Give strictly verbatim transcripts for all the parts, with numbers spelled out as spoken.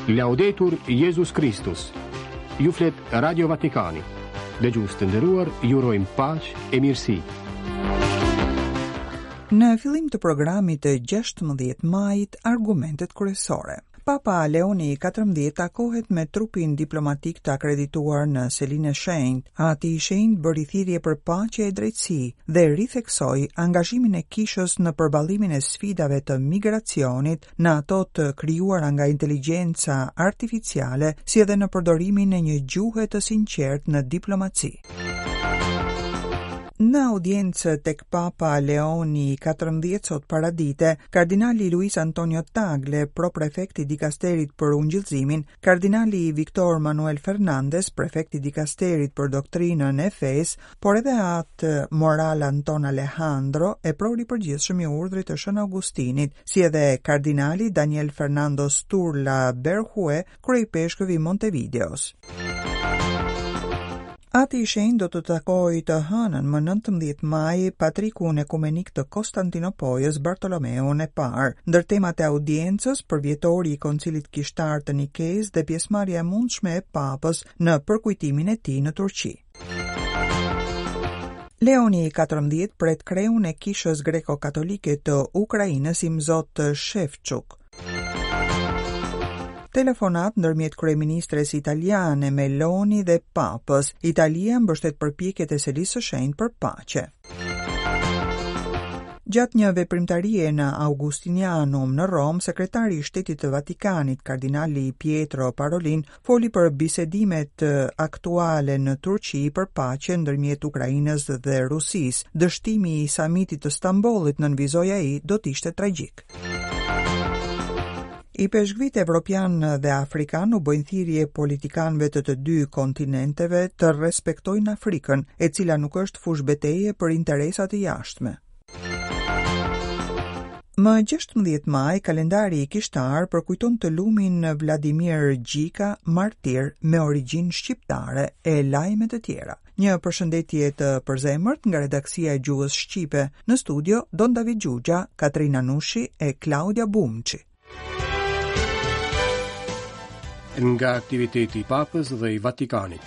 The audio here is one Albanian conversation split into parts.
Laudetur Jezus Kristus. Ju flet Radio Vatikani. Dëgjues të nderuar, ju urojmë paqe e mirësi. Në fillim të programit të gjashtëmbëdhjetë majit, argumentet kryesore. Papa Leoni i katërmbëdhjetë takohet me trupin diplomatik të akredituar në Selinë e Shenjtë. Ati i Shenjtë bëri thirrje për paqe e drejtësi dhe ritheksoi angazhimin e kishës në përballimin e sfidave të migracionit, në ato të krijuara nga inteligjenca artificiale, si edhe në përdorimin e një gjuhe të sinqertë në diplomaci. Në audiencë tek Papa Leoni i katërmbëdhjetë sot paradite, kardinali Luis Antonio Tagle, proprefekti dikasterit për ungjillëzimin, kardinali Victor Manuel Fernandez, prefekti dikasterit për doktrinën e fesë, por edhe atë Moral Anton Alejandro, eprori i përgjithshëm i urdhrit të Shën Augustinit, si edhe kardinali Daniel Fernando Sturla Berhue, kryepeshkëvi i Montevideos. Ati i Shenjtë do të takojë të hënën më nëntëmbëdhjetë maj patrikun ekumenik të Konstantinopojës Bartolomeun e parë. Ndër temat e audiencës, përvjetori i Koncilit Kishtar të Nikes dhe pjesëmarrja e mundshme e Papës në përkujtimin e tij në Turqi. Leoni i katërmbëdhjetë pret kreun e Kishës Greko-Katolike të Ukrainës Imzot Shevchuk. Telefonat ndërmjet kryeministres italiane Meloni dhe Papës. Italia mbështet përpjekjet e Selisë së Shenjtë për paqe. Gjatë një veprimtarie në Augustinianum në Romë, sekretari i Shtetit të Vatikanit, kardinali Pietro Parolin, foli për bisedimet aktuale në Turqi për paqe ndërmjet Ukrainës dhe Rusisë. Dështimi i samitit të Stambollit, nënvizoi ai, do të ishte tragjik. Ipeshkvit evropian dhe afrikan u bëjnë thirrje politikanëve të të dy kontinenteve të respektojnë Afrikën, e cila nuk është fushë për interesa të jashtme. Më gjashtëmbëdhjetë maj, kalendari i kishtar përkujton të lumin Vladimir Gjika, martir me origjinë shqiptare e lajme të tjera. Një përshëndetje të përzemërt nga redaksia e gjuhës shqipe. Në studio Don David Gjugja, Katrina Nushi e Klaudia Bumçi. Nga aktiviteti i Papës dhe i Vatikanit.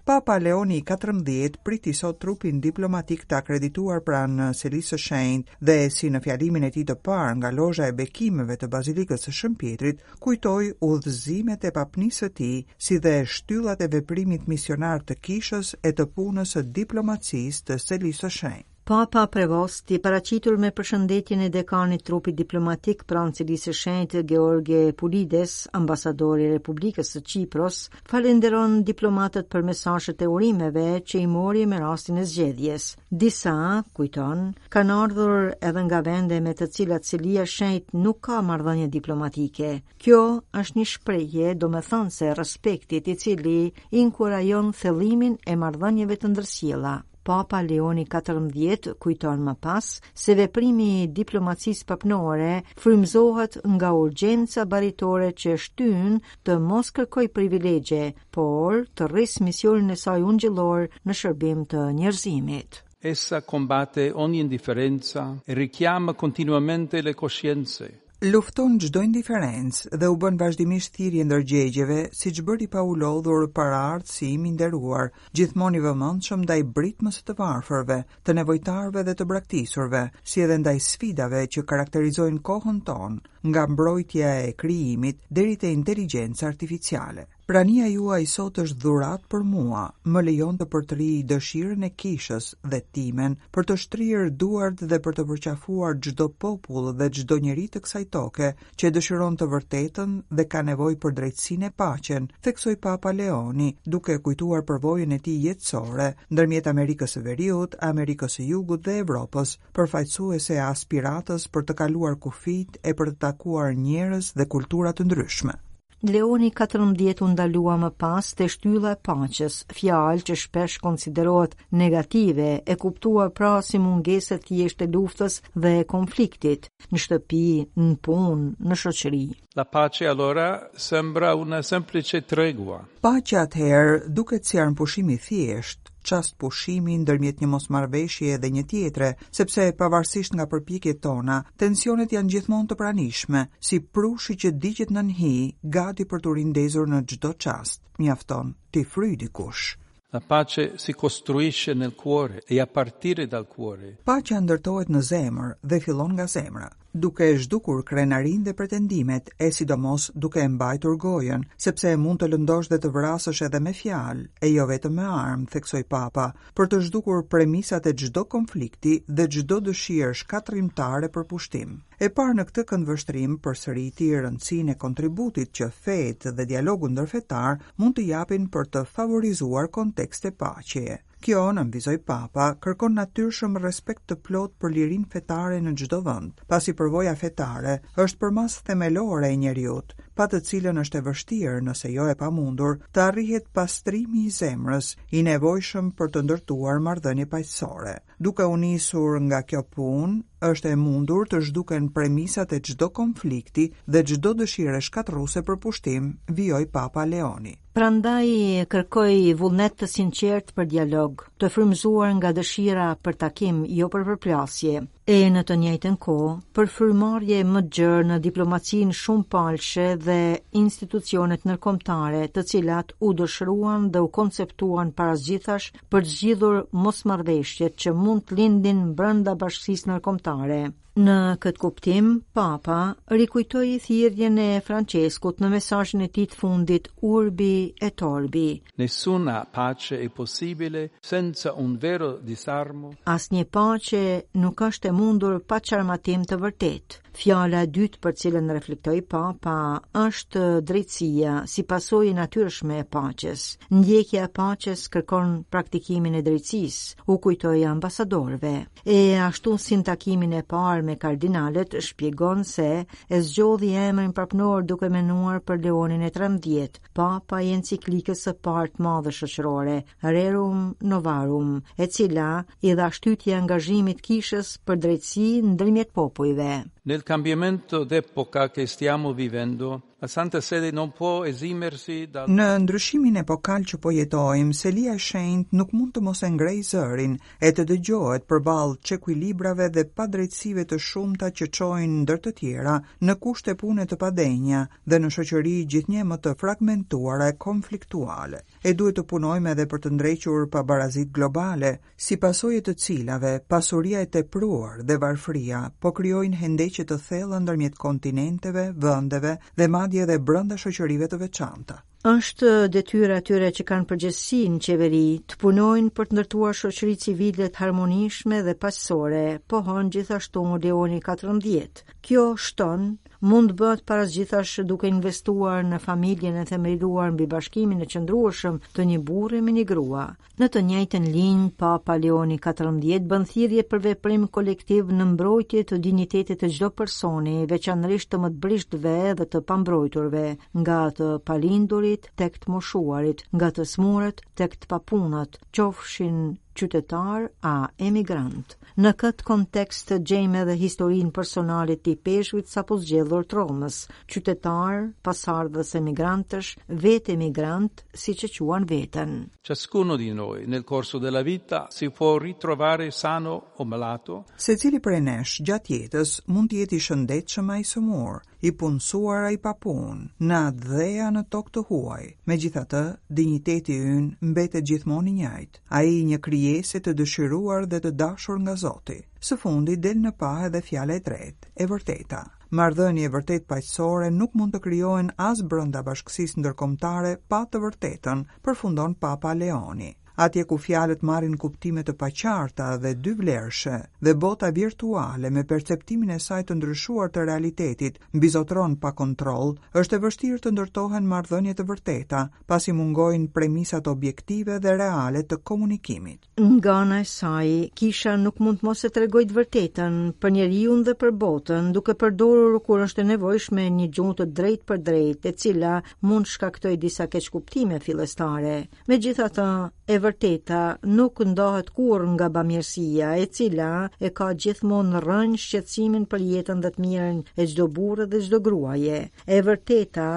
Papa Leoni i katërmbëdhjetë priti sot trupin diplomatik të akredituar pranë Selisë së Shenjtë dhe si në fjalimin e tij të parë nga lozha e bekimeve të Bazilikës së Shën Pietrit, kujtoi udhëzimet e papnisë së tij, si dhe shtyllat e veprimit misionar të kishës e të punës së diplomacisë të Selisë së Shenjtë. Papa Prevosti, paraqitur me përshëndetjen e dekanit trupit diplomatik pranë Selisë së Shenjtë George Pulides, ambasadori i Republikës së Qipros, falenderon diplomatët për mesazhet e urimeve që i mori me rastin e zgjedhjes. Disa, kujton, kanë ardhur edhe nga vende me të cilat Selia e Shenjtë nuk ka marrëdhënie diplomatike. Kjo është një shprehje domethënëse respektit i cili inkurajon thellimin e marrëdhënieve të ndërsjella. Papa Leoni katërmbëdhjetë kujton më pas se veprimi i diplomacisë papnore frymëzohet nga urgjenca baritore që shtyn të mos kërkoj privilegje, por të rrisë misionin e saj ungjillor në shërbim të njerëzimit. Essa combatte ogni indifferenza e richiama continuamente le coscienze. Lufton çdo indiferencë dhe u bën vazhdimisht thirrje ndërgjegjeve, siç bëri pa u lodhur paraardhësi im i nderuar, gjithmonë i vëmendshëm ndaj britmës së të varfërve, të nevojtarëve dhe të braktisurve, si edhe ndaj sfidave që karakterizojnë kohën tonë, nga mbrojtja e krijimit deri te inteligjenca artificiale. Prania juaj sot është dhuratë për mua, më lejon të përtërij dëshirën e kishës dhe timen për të shtrirë duart dhe për të përqafuar çdo popull dhe çdo njeri të kësaj toke që e dëshiron të vërtetën dhe ka nevojë për drejtësinë e paqen, theksoi Papa Leoni, duke kujtuar përvojën e tij jetësore ndërmjet Amerikës së Veriut, Amerikës së Jugut dhe Evropës, përfaqësuese e aspiratës për të kaluar kufijt e për të takuar njerëz dhe kultura të ndryshme. Leoni katërmbëdhjetë u ndalua më pas te shtylla e paqes, fjalë që shpesh konsiderohet negative, e kuptuar pra si mungesë e thjeshtë e luftës dhe e konfliktit, në shtëpi, në punë, në shoqëri. La pace allora sembra una semplice tregua. Paqja atëherë duket si armëpushim i thjeshtë, çast pushimi ndërmjet një mosmarrëveshje dhe një tjetre, sepse pavarësisht nga përpjekjet tona, tensionet janë gjithmonë të pranishme, si prushi që digjet nën hi, gati për t'u rindezur në çdo çast. Mjafton t'i fryj dikush. La pace si costruisce nel cuore e a partire dal cuore. Paqja ndërtohet në zemër dhe fillon nga zemra, duke e zhdukur krenarinë dhe pretendimet, e sidomos duke e mbajtur gojën, sepse mund të lëndosh dhe të vrasësh edhe me fjalë, e jo vetëm me armë, theksoi Papa, për të zhdukur premisat e çdo konflikti dhe çdo dëshirë shkatërrimtare për pushtim. E parë në këtë këndvështrim përsëriti rëndësinë e kontributit që fetë dhe dialogu ndërfetar mund të japin për të favorizuar kontekste paqeje. Kjo, nënvizoi Papa, kërkon natyrshëm respekt të plot për lirinë fetare në çdo vend, pasi përvoja fetare është përmas themelore e njeriut, pa të cilën është e vështirë, nëse jo e pamundur, të arrihet pastrimi i zemrës, i nevojshëm për të ndërtuar marrëdhënie paqësore. Duke u nisur nga kjo punë, është e mundur të zhduken premisat e çdo konflikti dhe çdo dëshire shkatërruese për pushtim, vijoi Papa Leoni. Prandaj kërkoi vullnet të sinqert për dialog, të frymëzuar nga dëshira për takim, jo për përplasje, e në të njëjtën kohë për frymëmarrje më të gjerë në diplomacinë shumëpalëshe dhe institucionet ndërkombëtare, të cilat u dëshiruan dhe u konceptuan para gjithash për të zgjidhur mosmarrëveshjet që mund të lindin brenda bashkësisë ndërkombëtare. Në këtë kuptim, Papa rikujtoi thirrjen e Franceskut në mesazhin e tij të fundit Urbi et Orbi. Nessuna pace è possibile senza un vero disarmo. Asnjë paqe nuk është e mundur pa çarmatim të vërtetë. Fjala e dytë për cilën reflektoi Papa është drejtësia, si pasojë natyrshme e paqes. Ndjekja e paqes kërkon praktikimin e drejtësisë, u kujtoi ambasadorëve. E ashtu si në takimin e parë me kardinalët, shpjegon se e zgjodhi emrin papnor duke menduar për Leonin e trembëdhjetë, papa i enciklikës së parë të madhe shoqërore, Rerum Novarum, e cila i dha shtytje angazhimit kishës për drejtësi ndërmjet popujve. Nel cambiamento d'epoca che stiamo vivendo, la Santa Sede non può esimersi dal Në ndryshimin epokal që po jetojmë, Selia e Shenjtë nuk mund të mos e ngrejë zërin e të dëgjohet përballë çekuilibrave dhe padrejtësive të shumta që çojnë ndër të tjera në kushte pune të padenja dhe në shoqëri gjithnjë më të fragmentuara e konfliktuale. E duhet të punojmë edhe për të ndrequr pabarazitë globale, si pasojë të cilave pasuria e tepruar dhe varfëria po krijojnë hendeqe të thella ndërmjet kontinenteve, vendeve dhe madje edhe brenda shoqërive të veçanta. Është detyra atyre që kanë përgjegjësi në qeveri të punojnë për të ndërtuar shoqëri civile të harmonishme dhe paqësore, pohon gjithashtu Leoni katërmbëdhjetë. Kjo shton mund të bëhet para gjithash duke investuar në familjen e themeluar mbi bashkimin e qëndrueshëm të një burri me një grua. Në të njëjtën linjë, Papa Leoni katërmbëdhjetë bën thirrje për veprim kolektiv në mbrojtje të dinjitetit të çdo personi, veçanërisht të më të brishtëve dhe të pambrojturve, nga të palindurit tek të moshuarit, nga të smurët tek të papunët, qofshin qytetar a emigrant. Në këtë kontekst gjejmë edhe historinë personale të ipeshkvit sapo zgjedhur të Romës, qytetar, pasardhës emigrantësh, vetë emigrant, siç e quan veten. Ciascuno di noi nel corso della vita si può ritrovare sano o malato. Secili prej nesh gjatë jetës mund të jetë i shëndetshëm a i sëmur, i punësuar a i papunë, në atdhe a në tokë të huaj. Megjithatë, dinjiteti ynë mbetet gjithmonë i njëjtë, ai i një krijese të dëshiruar dhe të dashur nga Zoti. Së fundi del në pah edhe fjala e tretë, e vërteta. Marrëdhënie vërtet paqësore nuk mund të krijohen as brenda bashkësisë ndërkombëtare pa të vërtetën, përfundon Papa Leoni. Atje ku fjalët marrin kuptime të paqarta dhe dyvlerëshe, dhe bota virtuale me perceptimin e saj të ndryshuar të realitetit mbizotron pa kontroll, është e vështirë të ndërtohen marrëdhënie të vërteta, pasi mungojnë premisat objektive dhe reale të komunikimit. Nga ana e saj, kisha nuk mund të mos e tregojë të vërtetën për njeriun dhe për botën, duke përdorur kur është e nevojshme një gjuhë të drejtë për drejtë, e cila mund shkaktojë disa keqkuptime fillestare. Megjithatë, e vërteta nuk ndahet kurrë nga bamirësia, e cila e ka gjithmonë rrënjë shqetësimin për jetën dhe të mirën e çdo burri dhe çdo gruaje. E vërteta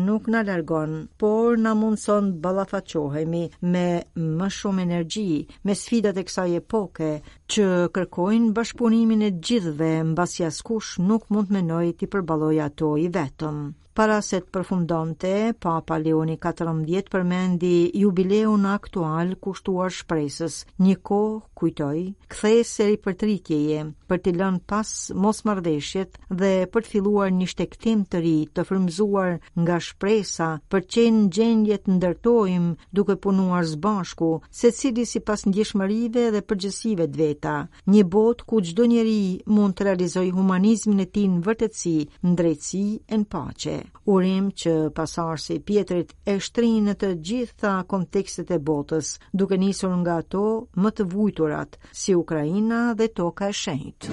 nuk na largon, por na mundson ballafaqohemi me më shumë energji, me sfidat e kësaj epoke që kërkojnë bashkëpunimin e gjithëve, mbasi askush nuk mund të mendojë t'i përballojë ato i vetëm. Para se të përfundonte, Papa Leoni katërmbëdhjetë përmendi jubileun aktual kushtuar shpresës, një kohë, kujtoi, kthesë e ripërtritjeje, për t'i lënë pas mosmarrëveshjet dhe për të filluar një shtegtim të ri të frymëzuar nga shpresa për të qenë në gjendje të ndërtojmë duke punuar së bashku, secili sipas ndjeshmërive dhe përgjegjësive të veta, një botë ku çdo njeri mund të realizojë humanizmin e tij në vërtetësi, në drejtësi e në paqe. Urim që pasarsi i Pietrit e shtrin në të gjitha kontekstet e botës, duke nisur nga ato më të vujturat, si Ukraina dhe Toka e Shenjtë.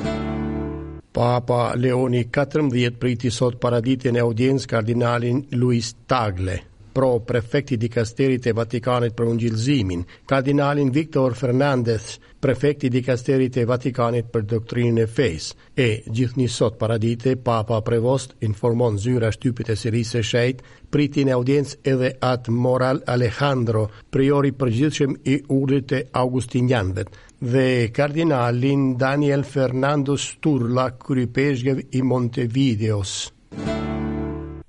Papa Leoni katërmbëdhjetë priti sot paraditjen e audiencë kardinalin Luis Tagle, pro prefekti dikasterit e Vatikanit për ungjillëzimin, kardinalin Victor Fernandez, prefekti dikasterit e Vatikanit për doktrinën e fesë. E gjithnjë sot paradite, Papa Prevost informon zyra shtypit e Serisë së Shenjtë, priti në audiencë edhe atë Moral Alejandro, priori përgjithshëm i urdhrit të Augustinianëve, dhe kardinalin Daniel Fernando Sturla, kryepeshkëv i Montevideos.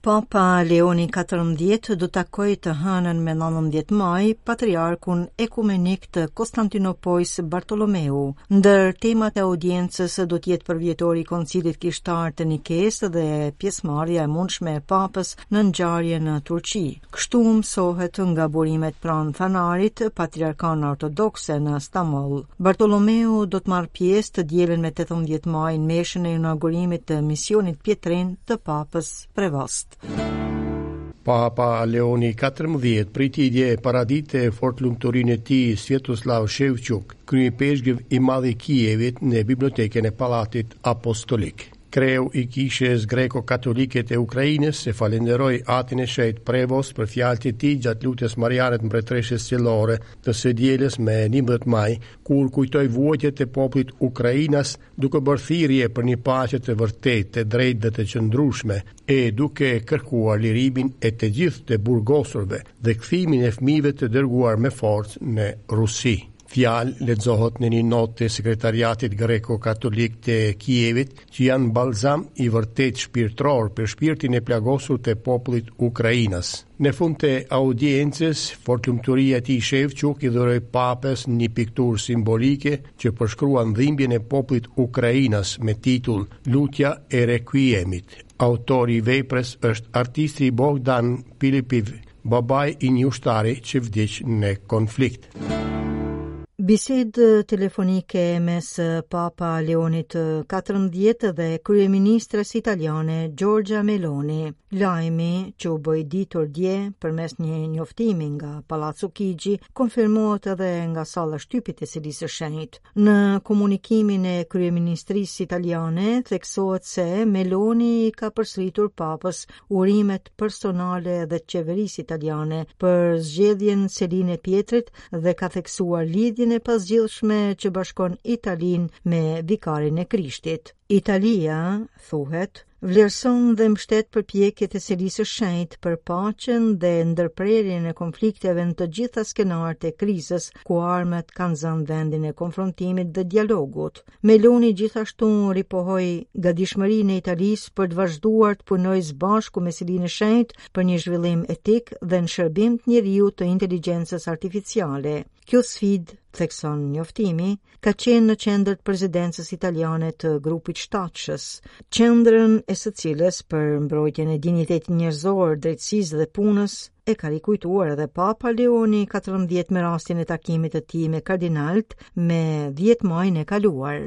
Papa Leoni katërmbëdhjetë do takojë të hënën me nëntëmbëdhjetë maj patriarkun ekumenik të Konstantinopojs Bartolomeu. Ndër temat e audiencës do të jetë përvjetori i Koncilit Kishtar të Nikes dhe pjesëmarrja e mundshme e Papës në ngjarje në Turqi. Kështu mësohet nga burimet pranë Fanarit, patriarkan ortodokse në Stamboll. Bartolomeu do të marrë pjesë të dielën me tetëmbëdhjetë maj në meshën e inaugurimit të misionit Pietrin të Papës Prevost. Papa Leoni katërmbëdhjetë priti dje paradite fortlumturinë e tij Svetoslav Shevchuk, kryepeshkëv i madh i Kievit në bibliotekën e Pallatit Apostolik. Kreu i kishës greko-katolike të Ukrainës e falenderoi Atin e Shenjtë Prevost për fjalët e tij gjatë lutjes mariane të Mbretëreshës Qiellore të së dielës me njëmbëdhjetë maj, kur kujtoi vuajtjet e popullit ukrainas duke bërë thirrje për një paqe të vërtetë, të drejtë dhe të qëndrueshme, e duke kërkuar lirimin e të gjithë të burgosurve dhe kthimin e fëmijëve të dërguar me forcë në Rusi. Fjalë lexohet në një notë të sekretariatit greko-katolik të Kievit, që janë balzam i vërtet shpirtëror për shpirtin e plagosur të popullit ukrainas. Në fund të audiencës, fortlumturia e tij Shevchuk i dhuroi papës një pikturë simbolike që përshkruan dhimbjen e popullit ukrainas me titull Lutja e Requiemit. Autori i veprës është artisti Bogdan Pilipiv, babai i një ushtari që vdiq në konflikt. Bisedë telefonike mes Papa Leonit katërmbëdhjetë dhe kryeministres italiane Giorgia Meloni. Lajmi që u bë i ditur dje përmes një njoftimi nga Palazzo Chigi konfirmohet edhe nga salla e shtypit e Selisë së Shenjtë. Në komunikimin e kryeministrisë italiane theksohet se Meloni ka përsëritur Papës urimet personale dhe qeverisë italiane për zgjedhjen Selinë e Pietrit dhe ka theksuar lidhjen e pazgjidhshme që bashkon Italinë me vikarin e Krishtit. Italia, thuhet, vlerëson dhe mbështet përpjekjet e Selisë së Shenjtë për paqen dhe ndërprerjen e konflikteve në të gjitha skenarët e krizës ku armët kanë zënë vendin e konfrontimit dhe dialogut. Meloni gjithashtu ripohoi gatishmërinë e Italisë për të vazhduar të punojë së bashku me Selinë e Shenjtë për një zhvillim etik dhe në shërbim të njeriu të inteligjencës artificiale. Kjo sfidë, thekson njoftimi, ka qenë në qendër të presidencës italiane të grupit shtatshës, qendrën e së cilës për mbrojtjen e dinjitetit njerëzor, drejtësisë dhe punës e ka rikujtuar edhe Papa Leoni katërmbëdhjetë me rastin e takimit të tij me kardinalt me dhjetë majin e kaluar.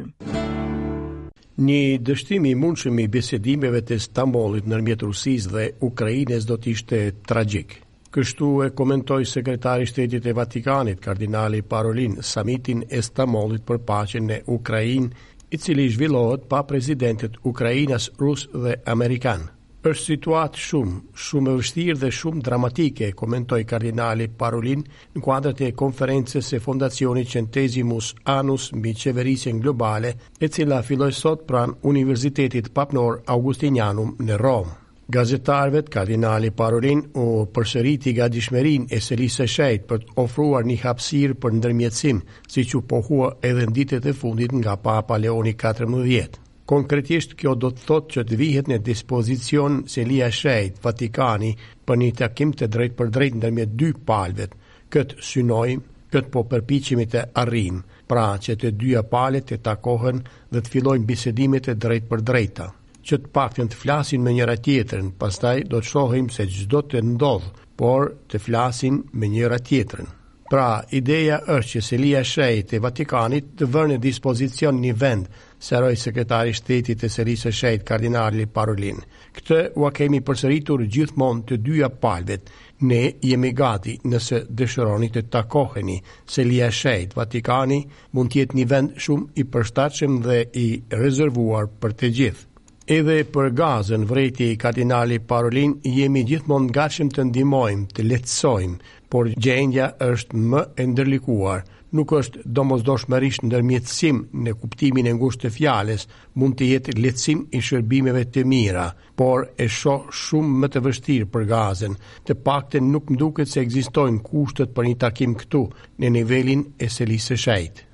Një dështim i mundshëm i bisedimeve të Stambollit ndërmjet Rusisë dhe Ukrainës do të ishte tragjik. Kështu e komentoi sekretari i Shtetit të Vatikanit, kardinali Parolin, samitin e Stambollit për paqen në Ukrainë, i cili zhvillohet pa presidentët ukrainas, rus dhe amerikan. Është situatë shumë, shumë e vështirë dhe shumë dramatike, komentoi kardinali Parolin në kuadër të konferencës së Fondacionit Centesimus Annus mbi qeverisjen globale, e cila filloi sot pranë Universitetit Papnor Augustinianum në Romë. Gazetarëve, kardinali Parolin u përsëriti gatishmërinë e Selisë së Shenjtë për të ofruar një hapësirë për ndërmjetësim, siç u pohua edhe në ditët e fundit nga Papa Leoni katërmbëdhjetë. Konkretisht, kjo do të thotë që të vihet në dispozicion Selia e Shenjtë, Vatikani, për një takim të drejtë për drejtë ndërmjet dy palëve. Këtë synojmë, këtë po përpiqemi të arrijmë, pra që të dyja palët të takohen dhe të fillojnë bisedimet e drejtë për drejta, që të paktën të flasin me njëra tjetrën, pastaj do të shohim se ç'do të ndodhë, por të flasin me njëra tjetrën. Pra, ideja është që Selia e Shenjtë e Vatikanit të vërë në dispozicion një vend, sqaroi sekretari i shtetit të Selisë së Shenjtë, kardinali Parolin. Këtë ua kemi përsëritur gjithmonë të dyja palëve. Ne jemi gati nëse dëshironi të takoheni. Selia e Shenjtë, Vatikani, mund të jetë një vend shumë i përshtatshëm dhe i rezervuar për të gjithë. Edhe për Gazën, vrejti kardinali Parolin, jemi gjithmonë gatshëm të ndihmojmë, të lehtësojmë, por gjendja është më e ndërlikuar. Nuk është domosdoshmërisht ndërmjetësim në kuptimin e ngushtë të fjalës, mund të jetë lehtësim i shërbimeve të mira, por e shoh shumë më të vështirë për Gazën. Të paktën nuk më duket se ekzistojnë kushtet për një takim këtu, në nivelin e Selisë së Shenjtë.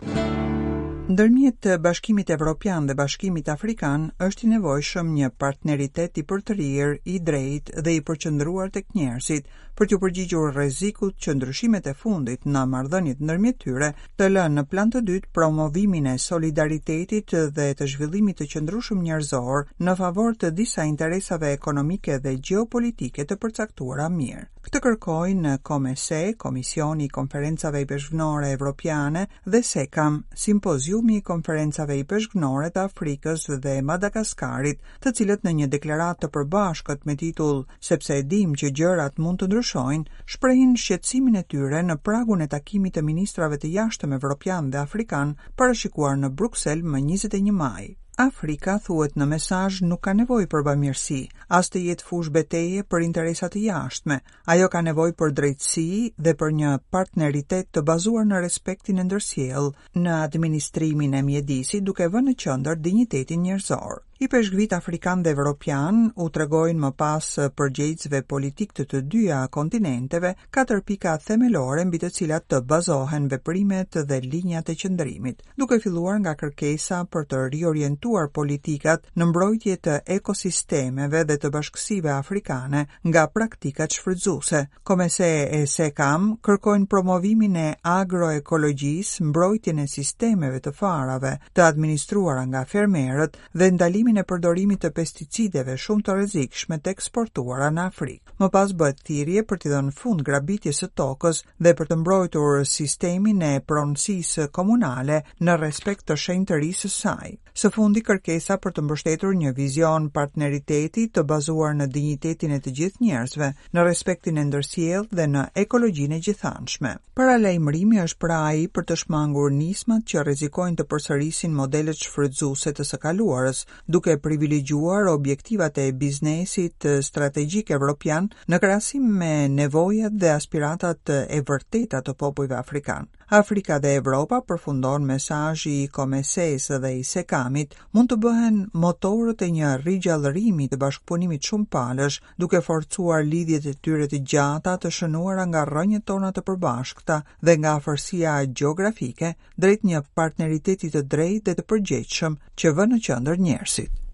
Ndërmjet Bashkimit Evropian dhe Bashkimit Afrikan është i nevojshëm një partneritet i përtërirë, i drejtë dhe i përqendruar tek njerëzit për t'u përgjigjur rrezikut që ndryshimet e fundit në marrëdhëniet ndërmjet tyre të lënë në plan të dytë promovimin e solidaritetit dhe të zhvillimit të qëndrueshëm njerëzor në favor të disa interesave ekonomike dhe gjeopolitike të përcaktuara mirë. Këtë kërkojnë COMECE, Komisioni i Konferencave Ipeshkvnore Evropiane dhe SECAM, Simpoziumi i Konferencave Ipeshkvnore të Afrikës dhe Madagaskarit, të cilët në një deklaratë të përbashkët me titull Sepse e dim që gjërat mund të ndryshojnë, shprehin shqetësimin e tyre në pragun e takimit të ministrave të jashtëm evropian dhe afrikan parashikuar në Bruksel më njëzet e një maj. Afrika, thuhet në mesazh, nuk ka nevojë për bamirësi, as të jetë fushë beteje për interesa të jashtme. Ajo ka nevojë për drejtësi dhe për një partneritet të bazuar në respektin e ndërsjellë, në administrimin e mjedisit, duke vënë në qendër dinjitetin njerëzor. Ipeshkvit afrikan dhe evropian u tregojnë më pas përgjegjësve politik të të dyja kontinenteve katër pika themelore mbi të cilat të bazohen veprimet dhe linjat e qëndrimit, duke filluar nga kërkesa për të riorientuar politikat në mbrojtje të ekosistemeve dhe të bashkësive afrikane nga praktikat shfrytzuese. COMECE e SECAM kërkojnë promovimin e agroekologjisë, mbrojtjen e sistemeve të farave të administruara nga fermerët dhe ndalimin e përdorimit të pesticideve shumë të rrezikshme të eksportuara në Afrikë. Më pas bëhet thirrje për t'i dhënë fund grabitjes së tokës dhe për të mbrojtur sistemin e pronësisë komunale në respekt të shenjtërisë së saj. Së fundi, kërkesa për të mbështetur një vizion partneriteti të bazuar në dinjitetin e të gjithë njerëzve, në respektin e ndërsjellë dhe në ekologjinë e gjithanshme. Paralajmërimi është pra ai për të shmangur nismat që rrezikojnë të përsërisin modelet shfrytzuese të së kaluarës, duke privilegjuar objektivat e biznesit strategjik evropian në krahasim me nevojat dhe aspiratat e vërteta të popujve afrikan. Afrika dhe Evropa, përfundon mesazhi i COMECE-s dhe i SECAM-it, mund të bëhen motorët e një rigjallërimi të bashkëpunimit shumëpalësh, duke forcuar lidhjet e tyre të gjata të shënuara nga rrënjët tona të përbashkëta dhe nga afërsia gjeografike drejt një partneriteti të drejtë dhe të përgjegjshëm që vë në qendër njerëzit.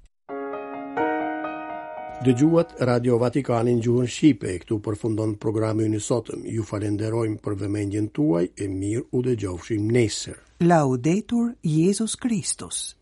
Dëgjuat Radio Vatikanin gjuhën shqipe, këtu përfundon programi ynë i sotëm. Ju falenderojmë për vëmendjen tuaj e mirë u dëgjofshim nesër. Laudetur Jezus Christus.